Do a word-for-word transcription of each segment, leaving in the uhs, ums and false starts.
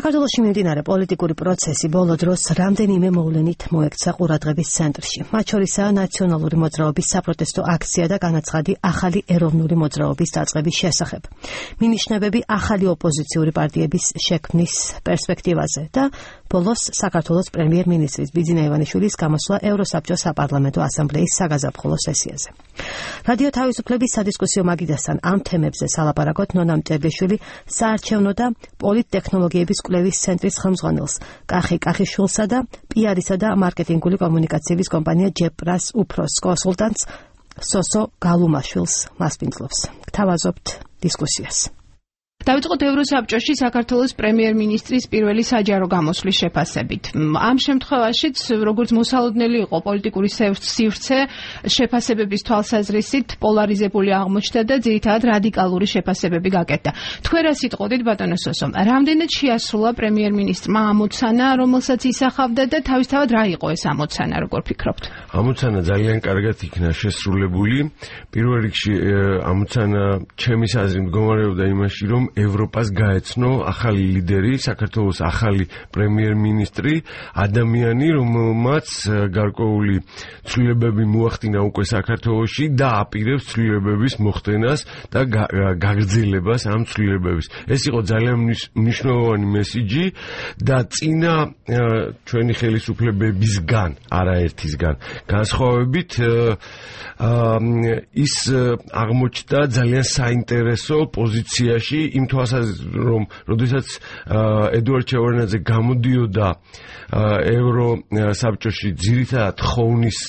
საქართველოში მიმდინარე პოლიტიკური პროცესი ბოლო დროს რამდენიმე მოვლენით მოექცა ყურადღების ცენტრში. მათ შორისაა ნაციონალური მოძრაობის საპროტესტო აქცია და განაცხადი ახალი ეროვნული მოძრაობის დაწყების შესახებ. მინიშნებები ახალი ოპოზიციური პარტიების შექმნის პერსპექტივაზე და ბოლოს საქართველოს პრემიერ-მინისტრის ბიძინა ივანიშვილის გამოსვლა ევროსაბჭოს საპარლამენტო ასამბლეის საგაზაფხულო სესიაზე. რადიო თავისუფლების სადისკუსიო მაგიდასთან ამ თემებზე სალაპარაკოთ ნონა მტერბიშვილი საარჩევნო და პოლიტტექნოლოგიების კვლევის ცენტრის ხელმძღვანელს კახი კახიშვილსა და პიარისა და მარკეტინგული კომუნიკაციების კომპანია ჯეპრას უფროს კონსულტანტს სოსო გალუმაშვილს მასპინძლობს. გთავაზობთ დისკუსიას. დავიწყოთ ევროსაბჭოში საქართველოს პრემიერ-მინისტრის პირველი საჯარო გამოსვლის შეფასებით. ამ შემთხვევაშიც, როგორც მოსალოდნელი იყო პოლიტიკური სივრცე, შეფასებების თვალსაზრისით პოლარიზებული აღმოჩნდა და ძირითადად რადიკალური შეფასებები გაკეთდა. თქვენ რა სიტყოდით, ბატონო სოსო, რამდენად შეასრულა პრემიერ-მინისტრმა ამოცანა, რომელსაც ისახავდა და თავისთავად რა იყო ეს ამოცანა, როგორ ფიქრობთ? ამოცანა ძალიან კარგად იქნა შესრულებული. პირველ რიგში ამოცანა ჩემის აზრით მდგომარეობდა იმაში, რომ ევროპას გაეცნო ახალი ლიდერი, საქართველოს ახალი პრემიერ-მინისტრი, ადამიანი, რომელმაც გარკვეული ცვლილებები მოახდინა უკვე საქართველოში და აპირებს ცვლილებების მოხდენას და გაგრძელებას ამ ცვლილებების. ეს იყო ძალიან მნიშვნელოვანი მესიჯი და წინა ჩვენი ხელისუფლებებისგან, არაერთისგან განსხვავებით ის აღმოჩნდა ძალიან საინტერესო პოზიციაში იმ თვალსაზრისით, რომ როდესაც ედუარდ ჩევარდნაძე გამოდიოდა ევროსაბჭოში ძირითადად ხოვნის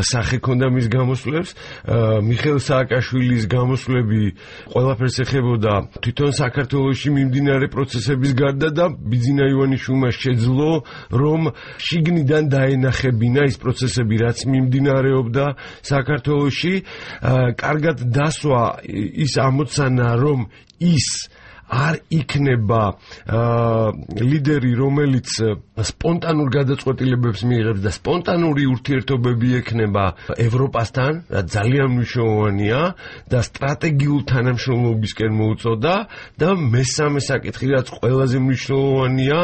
სახე ქონდა მის გამოსვლებს, მიხეილ სააკაშვილის გამოსვლები ყველაფერს ეხებოდა თვითონ საქართველოში მიმდინარე პროცესების გარდა და ბიძინა ივანიშვილმა შეძლო, რომ შიგნიდან დაენახებინა ის პროცესები, რაც მიმდინარეობდა საქართველოში. კარგად დასვა ის ამოცანა, რომ ის არ იქნება ლიდერი, რომელიც სპონტანურ გადაწყვეტილებებს მიიღებს და სპონტანური ურთიერთობები ექნება ევროპასთან, რაც ძალიან მნიშვნელოვანია და სტრატეგიულ თანამშრომლობისკენ მოუწოდა და მესამე საკითხი, რაც ყველაზე მნიშვნელოვანია,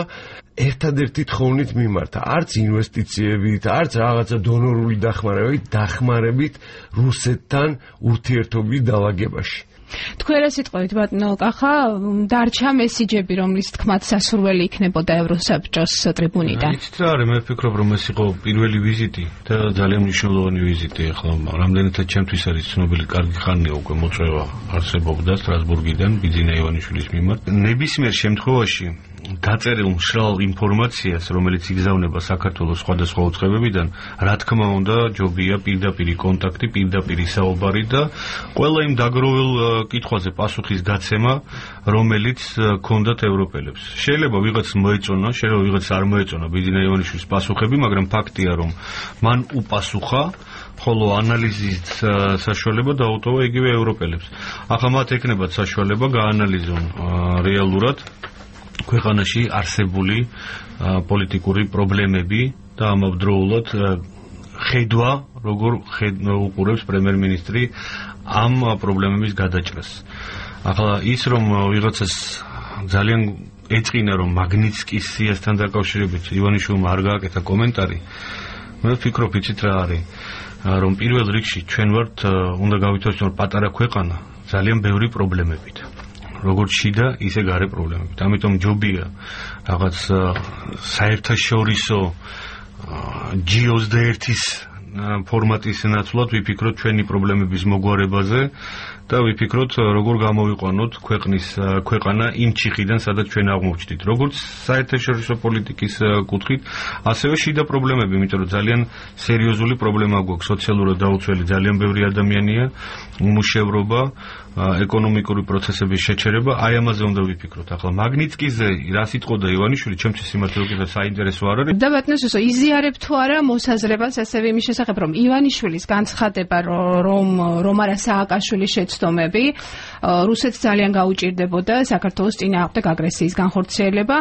ერთადერთი თხოვნით მიმართა, არც ინვესტიციებით, არც რაღაცა დონორული დახმარებით, დახმარებით რუსეთთან ურთიერთობის დაალაგებაში. თქვენ რა სიტყვით, ბატონო კახა, დარჩა მესიჯები, რომლის თქმაც სასურველი იქნებოდა ევროსაბჭოს ტრიბუნიდან. იცით რა არის, მე ვფიქრობ, რომ ეს იყო პირველი ვიზიტი და ძალიან მნიშვნელოვანი ვიზიტი. ახლა რამდენადაც ჩემთვის არის ცნობილი, კარგი ხანია უკვე მოწვევა არსებობდა სტრასბურგიდან ბიძინა ივანიშვილის მიმართ. ნებისმიერ შემთხვევაში გაწერილ მშრალ ინფორმაციას, რომელიც იგზავნება საქართველოს სხვადასხვა უწყებებიდან, რა თქმა უნდა, ჯობია პირდაპირი კონტაქტი, პირდაპირი საუბარი და ყველა იმ დაგროვილ კითხვაზე პასუხის გაცემა, რომელიც ქონდათ ევროპელებს. შეიძლება ვიღაც მოეწონა, შეიძლება ვიღაც არ მოეწონა ბიძინა ივანიშვილის პასუხები, მაგრამ ფაქტია, რომ მან უპასუხა, ხოლო ანალიზის საშუალება დაუტოვა იგივე ევროპელებს. ახლა მათ ეკნებათ საშუალება გაანალიზონ რეალურად ქვეყანაში არსებული პოლიტიკური პრობლემები და ამავდროულად ხედვა, როგორ უყურებს პრემიერ-მინისტრი ამ პრობლემების გადაჭრას. ახლა ის, რომ ვიღაცას ძალიან ეწყინა, რომ მაგნიცკის სიასთან დაკავშირებით ივანიშვილმა არ გააკეთა კომენტარი, მე ვფიქრობ, იცით რა არის, რომ პირველ რიგში ჩვენ ვართ, უნდა გავითვალისწინოთ, პატარა ქვეყანა ძალიან ბევრი პრობლემებით. როგორც შიდა, ისე გარე პრობლემებით. ამიტომ ჯობია რაღაც საერთაშორისო ჯი ოცდაერთის ფორმატის ნაცვლად ვიფიქროთ ჩვენი პრობლემების მოგვარებაზე და ვიფიქროთ, როგორ გამოვიყვანოთ ქვეყნის ქვეყანა იმ ჩიხიდან, სადაც ჩვენ აღმოჩნდით. როგორც საერთაშორისო პოლიტიკის კუთხით, ასევე შიდა პრობლემები, იმიტომ რომ ძალიან სერიოზული პრობლემა გვაქვს, სოციალურად დაუცველი ძალიან ბევრი ადამიანია, უმუშევრობა, ეკონომიკური პროცესების შეჩერება, აი ამაზე უნდა ვიფიქროთ. ახლა მაგნიცკიზე რა სიტყოდა ივანიშვილი, ჩემთვის სიმართლე უკეთეს საინტერესო არ არის. და ბატონო სოსო, იზიარებ თუ არა მოსაზრებას ასევე იმის შესახებ, რომ ივანიშვილის განცხადება, რომ რომ არა სააკაშვილის შეცდომები, რუსეთს ძალიან გაუჭირდებოდა საქართველოს წინააღმდეგ აგრესიის განხორციელება,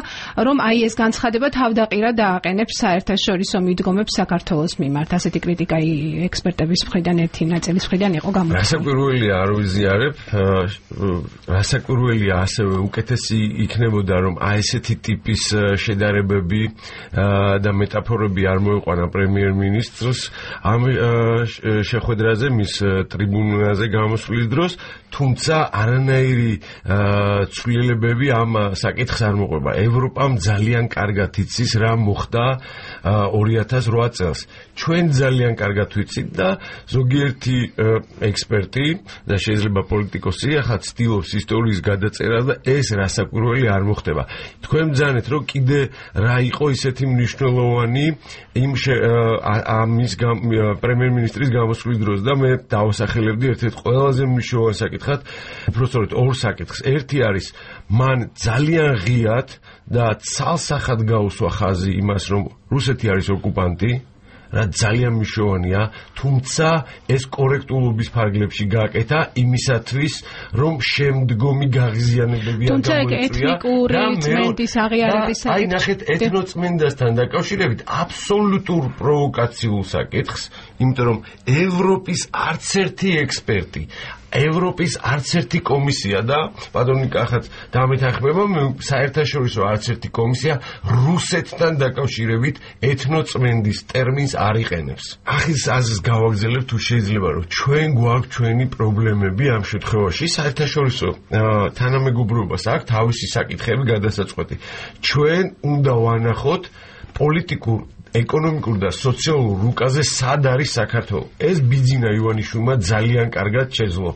რომ აი ეს განცხადება თავდაყირად დააყენებს საერთაშორისო მიდგომებს საქართველოს მიმართ. ასეთი კრიტიკა ექსპერტების მხრიდან ერთი ნაწილის მხრიდან იყო გამოცხადებული. გასაკვირველია, არ ვიზიარებ. რასაკვირველია, ასევე უკეთესი იქნებოდა, რომ აი ესეთი ტიპის შედარებები და მეტაფორები არ მოიყვანა პრემიერ-მინისტრს ამ შეხვედრაზე, მის ტრიბუნაზე გამოსვლის დროს, თუმცა არანაირი ცვლილებები ამ საკითხს არ მოყვება. ევროპამ ძალიან კარგად იცის რა მოხდა ორი ათას რვა წელს. ჩვენ ძალიან კარგად ვიცით და ზოგიერთი ექსპერტი და შეიძლება პოლიტიკოსი ახლა ცდილობს ისტორიის გადაწერა და ეს რასაკვირველი არ მოხდება. თქვენ ბრძანეთ, რომ კიდე რა იყო ისეთი მნიშვნელოვანი იმ ამის პრემიერ-მინისტრის გამოსვლის დროს და მე დავასახელებდი ერთ-ერთ ყველაზე მნიშვნელოვან საკითხად, უბრალოდ ორ საკითხს. ერთი არის მან ძალიან ღიად და ცალსახად გაუსვა ხაზი იმას, რომ რუსეთი არის ოკუპანტი, რა ძალიან მნიშვნელოვანია, თუმცა ეს კორექტულობის ფარგლებში გააკეთა იმისათვის, რომ შემდგომი გაღიზიანებები არ გამოიწვია. თუმცა ეთნიკური წმენდის აღიარების საკითხი. აი ნახეთ, ეთნოწმენდასთან დაკავშირებით აბსოლუტურ პროვოკაციულ საკითხს, იმიტომ რომ ევროპის არც ერთი ექსპერტი ევროპის არც ერთი კომისია და პატრონი კახაც დამეთანხმება, საერთაშორისო არც ერთი კომისია რუსეთთან დაკავშირებით ეთნოწმენდის ტერმინს არ იყენებს. ახის აზრს გავაგზავნებ თუ შეიძლება, რომ ჩვენ გვაქვს ჩვენი პრობლემები ამ შემთხვევაში, საერთაშორისო თანამეგობრობას აქვს თავისი საკითხები გადასაწყვეტი. ჩვენ უნდა ვანახოთ პოლიტიკურ ეკონომიკურ და სოციალურ რუკაზე სად არის საქართველო. ეს ბიძინა ივანიშვილმა ძალიან კარგად შეძლო.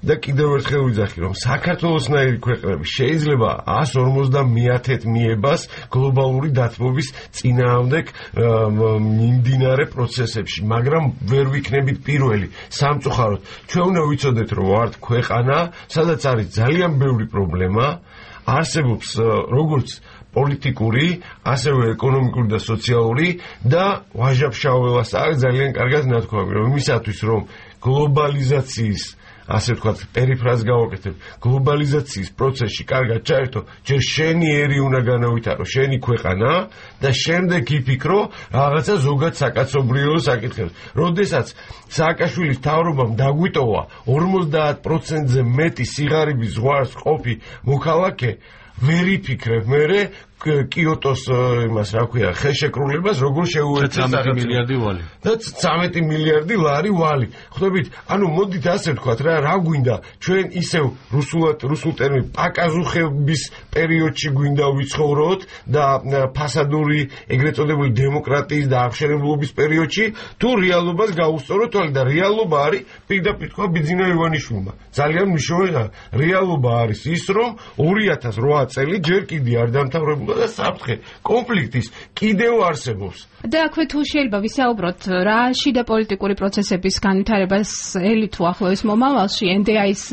და კიდევ ერთხელ ვიძახი, რომ საქართველოსნაირი ქვეყნები შეიძლება ას ორმოცდამეათე მიებას გლობალური დათბობის წინააღმდეგ მიმდინარე პროცესებში, მაგრამ ვერ ვიქნებით პირველი. სამწუხაროდ, ჩვენ უნდა ვიცოდეთ, რომ ვართ ქვეყანა, სადაც არის ძალიან ბევრი პრობლემა, არსებობს როგორც პოლიტიკური, ასევე ეკონომიკური და სოციალური და ვაჟა-ფშაველას აქვს ძალიან კარგად ნათქვამი, რომ იმისათვის, რომ გლობალიზაციის ასე ვთქვათ, პერიფრაზს გავაკეთებ, გლობალიზაციის პროცესში კარგად ჩაერთო, ჯერ შენი ერი უნდა განავითარო, შენი ქვეყანა და შემდეგ იფიქრო რაღაცა ზოგად საკაცობრიო საკითხებს. როდესაც სააკაშვილის მთავრობამ დაგვიტოვა ორმოცდაათ პროცენტზე მეტი სიღარიბის ზღვარს ყოფი მოქალაქე, ვერ იფიქრებ მერე კიოტოს იმას რა ქვია ხელშეკრულებას როგორ შეუერთეს ცამეტი მილიარდი ვალი და ცამეტი მილიარდი ლარი ვალი. ხვდებით, ანუ მოდით ასე ვთქვათ რა, რა გვინდა ჩვენ ისევ რუსულად რუსულ ტერმინ პაკაზუხების პერიოდში გვინდა ვიცხოვროთ და ფასადური ეგრეთ წოდებული დემოკრატიის და აღშენებლობის პერიოდში, თუ რეალობას გავუსწოროთ თვალე და რეალობა არის პირდაპირ თქვა ბიძინა ივანიშვილმა. ძალიან მნიშვნელოვანია, რეალობა არის ის, რომ ორი ათას რვა წელი ჯერ კიდე არ დამთავრებულა და საფრთხე კონფლიქტის კიდევ არსებობს. და აქვე თუ შეიძლება ვისაუბროთ რა შიდა პოლიტიკური პროცესების განვითარებას ელითუ ახლოეს მომავალში ენ დი აის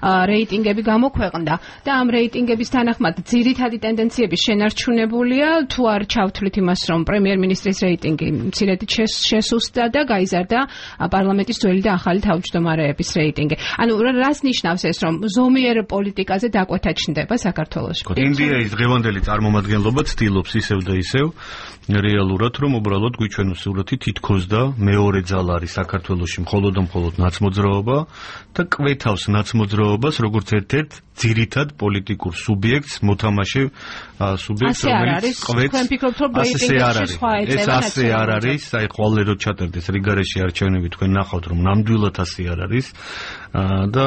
რეიტინგები გამოქვეყნდა და ამ რეიტინგების თანახმად ძირითადი ტენდენციები შენარჩუნებულია, თუ არ ჩავთვლით იმას, რომ პრემიერ-მინისტრის რეიტინგი მცირედით შესუსტდა და გაიზარდა პარლამენტის ძველი და ახალი თავმჯდომარეების რეიტინგი. ანუ რას ნიშნავს ეს, რომ ზომიერ პოლიტიკაზე დაკვეთა ჩნდება საქართველოში? ენ დი აის დღევანდელი წარმომადგენლობა ცდილობს ისევ და ისევ რეალურად, რომ უბრალოდ გვიჩვენოს სურათი თითქოს და მეორე ძალა არის საქართველოში მხოლოდ და მხოლოდ ნაცმოძრაობა და კვეთავს ნაცმოძრაობას როგორც ერთ-ერთ ძირითად პოლიტიკურ სუბიექტს, მოთამაშე სუბიექტს, რომელიც კვეთს. თქვენ ფიქრობთ, რომ რეიტინგებში სხვა ეწევა ეს ასე არ არის, აი ხვალე რო ჩატერდეს რიგარეში არჩევნები, თქვენ ნახავთ, რომ ნამდვილად ასე არ არის და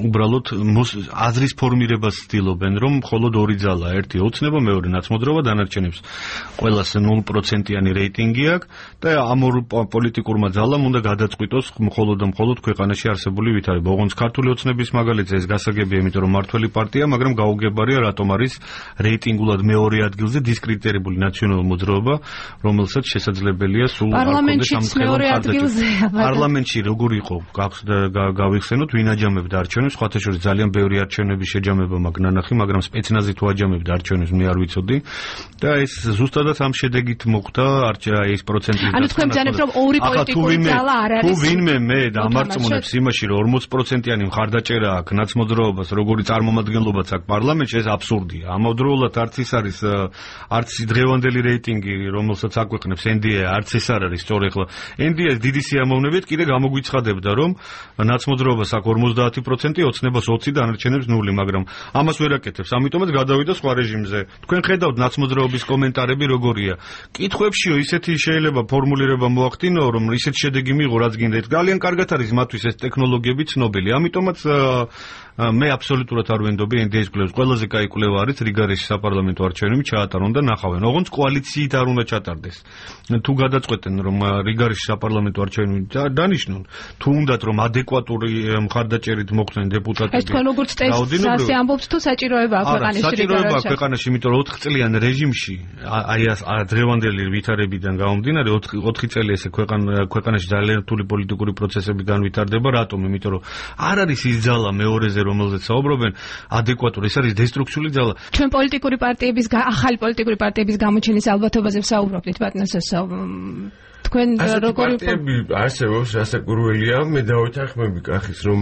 უბრალოდ აზრის ფორმირებას ცდილობენ, რომ მხოლოდ ორი ძალა, ერთი ოცნება, მეორე ნაცმოძრაობა, დანარჩენებს ყველას ნულ პროცენტიანი რეიტინგი აქვს და ამ ორ პოლიტიკურმა ძალამ უნდა გადაწყვიტოს მხოლოდ და მხოლოდ ქვეყანაში არსებული ვითარება. ოღონდ ქართული ოცნების მაგალითზე ეს გასაგებია, იმიტომ რომ მართველი პარტია, მაგრამ გაუგებარია რატომ არის რეიტინგულად მეორე ადგილზე დისკრედიტირებული ნაციონალური მოძრაობა, რომელსაც შესაძლებელია სულ პარლამენტში მეორე ადგილზე. პარლამენტში როგორ იყო გავიხსენოთ, ვინ აჯამებდა არჩევნებს, სხვათა შორის ძალიან ბევრი არჩევნების შეჯამება მაგ ნანახი, მაგრამ სპეცნაზი თუ აჯამებდა არჩევნებს, მე არ ვიცოდი და ეს ზუსტადად ამ შედეგით მოხდა ეს პროცენტი. ანუ თქვენ ბრძანებთ, რომ ორი პოლიტიკური ძალა არ არის. თუ ვინმე მე დამარწმუნებს იმაში, რომ ორმოც პროცენტიანი მხარდაჭერა აქვს ნაცმოძრაობას, როგორი წარმომადგენლობაც აქვს პარლამენტში, ეს აბსურდია. ამავდროულად არც ის არის, არც დღევანდელი რეიტინგი, რომელსაც აკვეყნებს ენ დი აი, არც ეს არ არის სწორი. ახლა ენ დი აი-ს დიდი სიამოვნებით კიდე გამოგვიცხადებდა, რომ ნაცმოძრაობას აქვს ორმოცდაათი პროცენტი, ოცნებას ოცი დანარჩენებს ნული, მაგრამ ამას ვერ აკეთებს. ამიტომაც გადავიდა სხვა რეჟიმზე. თქვენ ხედავთ ნაცმოძრაობის კომენტარები როგორია. კითხვებშიო ისეთი შეიძლება ფორმულირება მოახდინო, რომ ისეთი შედეგი მიიღო, რაც გინდა. ძალიან კარგად არის მათთვის ეს ტექნოლოგიები ცნობილი. ამიტომაც მე აბსოლუტურად არ ვენდობი ენ დი ეს კვლევას. ყველაზე კაი კვლევა არის რიგარიში საპარლამენტო არჩევნები ჩაატარონ და ნახავენ. ოღონდ კოალიციით არ უნდა ჩატარდეს. თუ გადაწყვეტენ რომ რიგარიში საპარლამენტო არჩევნები დანიშნონ, თუ უნდათ რომ ადეკვატური მხარდაჭერით მოხვდნენ დეპუტატები. ეს თქვენ როგორც წესი ამბობთ თუ საჭიროება აქვს ქვეყანაში რიგარიში? საჭიროება აქვს ქვეყანაში, იმიტომ რომ ოთხ წლიან რეჟიმში აი ეს დღევანდელი ვითარებიდან გამომდინარე ოთხი წელი ესე ქვეყანაში ძალიან რთული პოლიტიკური პროცესები განვითარდება. რატომ? იმიტომ რომ არ არის ის ძალა მეორეზე რომელზეც საუბრობენ ადეკვატური, ეს არის დესტრუქციული ძალა. ჩვენ პოლიტიკური პარტიების ახალი პოლიტიკური პარტიების გამოჩენის ალბათობაზე ვსაუბრობთ, ბატონო. თქვენ როგორი პარტიები არსებობს, რასაკვირველია, მე დავეთანხმები კახის, რომ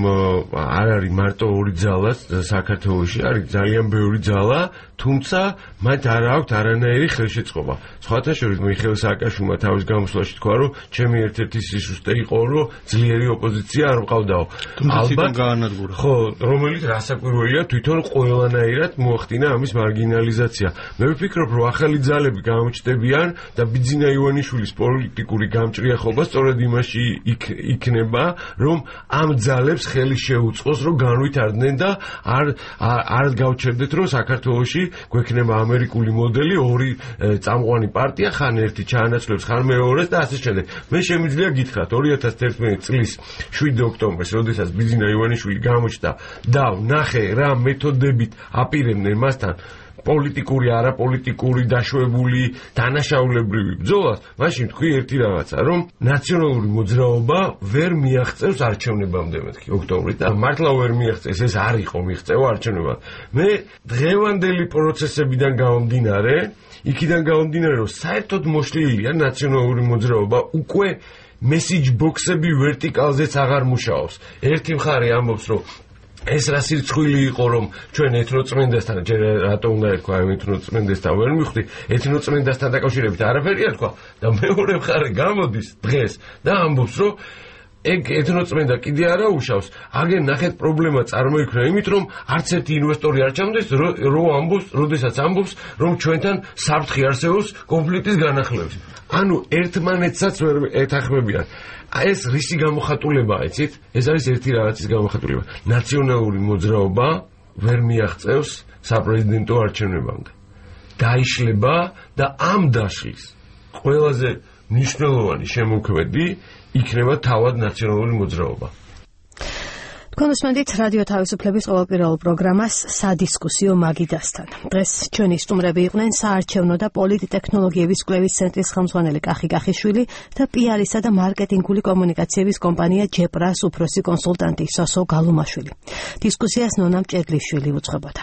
არ არის მარტო ორი ძალაც საქართველოში, არის ძალიან ბევრი ძალა, თუმცა მათ არ აქვთ არანაირი ხელშეწყობა. სხვათა შორის მიხეილ სააკაშვილმა თავის გამოსვლაში თქვა, რომ ჩემი ერთ-ერთი სისუსტე იყო, რომ ძლიერი ოპოზიცია არ მყავდაო. ალბათ გაანადგურა. ხო, რომელიც რასაკვირველია, თვითონ ყველანაირად მოახდინა ამის მარგინალიზაცია. მე ვფიქრობ, რომ ახალი ძალები გამოჩნდებიან და ბიძინა ივანიშვილის პოლიტიკური გამჭრიახობა სწორედ იმაში იქნება, რომ ამ ძალებს ხელი შეუწყოს, რომ განვითარდნენ და არ არ გავჩერდეთ, რომ საქართველოში გვექნება ამერიკული მოდელი, ორი წამყვანი პარტია, ხან ერთი ჩაანაცვლებს, ხან მეორეს და ასე შემდეგ. მე შემიძლია გითხრათ, ორი ათას ერთმანეტი წლის შვიდ ოქტომბერს, როდესაც ბიძინა ივანიშვილი გამოჩნდა და ნახე რა მეთოდებით აპირებდნენ მასთან პოლიტიკური, არაპოლიტიკური, დაშვებული, დანაშაულებრივი ბრძოლას, მაშინ თქვი ერთი რაღაცა, რომ ნაციონალური მოძრაობა ვერ მიაღწევს არჩევნებამდე მეთქი ოქტომბრის და მართლა ვერ მიაღწევს, ეს არ იყო მიღწევა არჩევნებად. მე დღევანდელი პროცესებიდან გამომდინარე, იქიდან გამომდინარე, რომ საერთოდ მოშლილია ნაციონალური მოძრაობა უკვე მესიჯ ბოქსები ვერტიკალზეც აღარ მუშაობს. ერთი მხარე ამბობს, რომ ეს რა სირცხვილი იყო, რომ ჩვენ ეთნოწმენდასთან, ჯერ რატო უნდა ეთქვა ეთნოწმენდასთან ვერ მივხვდი, ეთნოწმენდასთან დაკავშირებით არაფერია თქვა და მეორე მხარე გამოდის დღეს და ამბობს, რომ ეგ ეთნოწმენდა კიდე არა უშავს. აგენ ნახეთ პრობლემა წარმოიქმნა იმით, რომ არც ერთი ინვესტორი არ ჩამდეს, რომ ამბობს, როდესაც ამბობს, რომ ჩვენთან საფრთხე არსებობს კონფლიქტის განახლების. ანუ ერთმანეთსაც ვერ ეთანხმებიან. ეს რისი გამოხატულებაა, იცით? ეს არის ერთი რაღაცის გამოხატულება. ნაციონალური მოძრაობა ვერ მიაღწევს საპრეზიდენტო არჩევნებამდე. დაიშლება და ამ დაშლის ყველაზე მნიშვნელოვანი შემოქმედი იქნება თავად ნაციონალური მოძრაობა. თქვენ უსმენთ რადიო თავისუფლების ყოველკვირეულ პროგრამას სადისკუსიო მაგიდასთან. დღეს ჩვენი სტუმრები იყვნენ საარჩევნო და პოლიტტექნოლოგიების კვლევის ცენტრის ხელმძღვანელი კახი კახიშვილი და პი არ-ისა და მარკეტინგული კომუნიკაციების კომპანია ჯეპრას უფროსი კონსულტანტი სოსო გალუმაშვილი. დისკუსიას ნონა მჭედლიშვილი უძღვებოდა.